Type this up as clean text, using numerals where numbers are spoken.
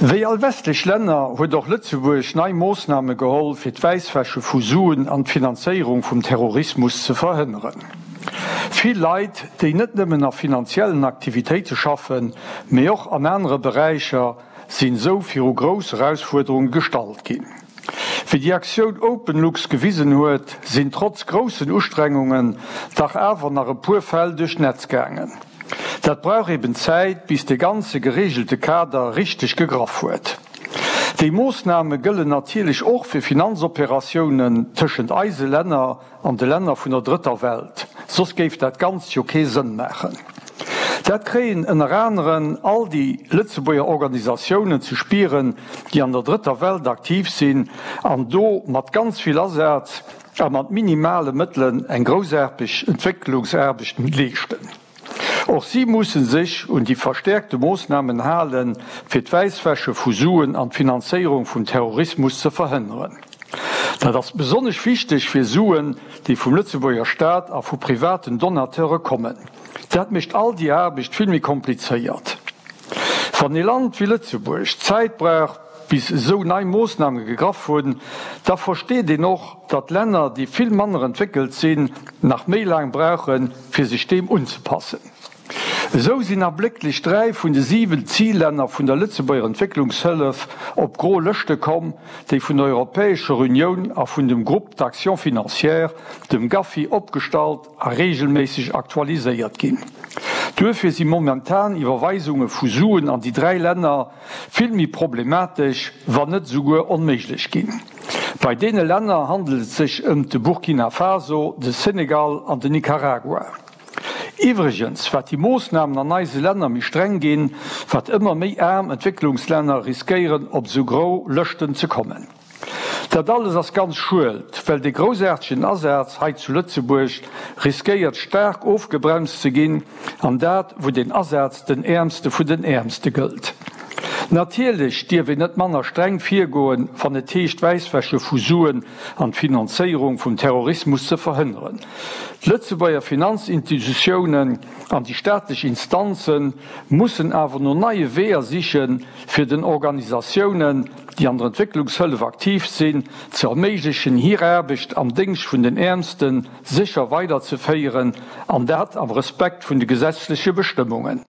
Wéi all westlech Länner huet och Lëtzebuerg nei Moossname geholl, fir d'Wäisswäsche vu Suen an d'Finanzéierung vum Terrorismus ze verhënneren. Vill Leit, déi net nëmmen a finanziellen Aktivitéite schaffen, mee och an anere Beräicher, sinn esou viru grouss Erausfuerderunge gestallt ginn. Wéi déi Aktioun OpenLux gewisen huet, sinn trotz groussen Ustrengungen dach awer nach e puer Fäll duerch d'Netz gaangen. Dat brauch eben Zäit, bis de ganze geregelte Kader richteg gegraff huet. Déi Moossname gëllen natierlech och fir Finanzoperatiounen tëschent eise Länner an de Länner vun der Drëtter Welt, soss géif dat Ganzt jo kee Sënn maachen. Dat kréien ënner aneren all déi Lëtzebuerger Organisatiounen ze spieren, déi an der Drëtter Welt aktiv sinn an do mat ganz vill Asaz a mat minimale Mëttelen eng groussaarteg Entwécklungsaarbecht leeschten. Och si musse sech un déi verstäerkte Moossnamen halen, fir d'Wäisswäsche vu Suen an d'Finanzéierung vum Terrorismus ze verhënneren. Dat ass besonnesch wichteg fir Suen, déi vum Lëtzebuerger Staat a vu privaten Donateure kommen. Dat mécht all déi Aarbecht vill méi komplizéiert. Wann ee Land wéi Lëtzebuerg Zäit brauch, bis esou nei Moossname gegraff hunn, da versteet een och, datt Länner, déi vill manner entwéckelt sinn, nach méi laang brauchen, fir sech deem unzepassen. Esou sinn ablécklech 3 vun de 7 Zillänner vun der Lëtzebuerger Entwécklungshëllef op gro Lëschte komm, déi vun der Europäescher Unioun a vun dem Groupe d'action financière, dem GAFI, opgestallt a reegelméisseg aktualiséiert ginn. Duerfir si momentan Iwwerweisunge vu Suen an déi 3 Länner vill méi problematesch, wann net esouguer onméiglech ginn. Bei deene Länner handelt et sech ëmt de Burkina Faso, de Senegal an den Nicaragua. Iwwregens, wat déi Moossnamen an eise Länner méi streng ginn, wat ëmmer méi aarm Entwécklungslänner riskéieren op esou gro Lëschten ze kommen. Dat alles ass ganz schued, well dee groussaartegen Asaz hei zu Lëtzebuerg riskéiert staark ofgebremst ze ginn, an dat wou deen Asaz den Äermste vun den Äermste gëllt. Natierlech dierf een net manner streng virgoen, wann et heescht d'Wäisswäsche vu Suen an d'Finanzéierung vum Terrorismus ze verhënneren. D'Lëtzebuerger Finanzinstitutiounen an déi staatlech Instanze mussen awer no neie Weeër sichen, fir den Organisatiounen, déi an der Entwécklungshëllef aktiv sinn, ze erméiglechen, hir Aarbecht am Déngscht vun den Äermste sécher weiderzeféieren, an dat am Respekt vun de gesetzleche Bestëmmungen.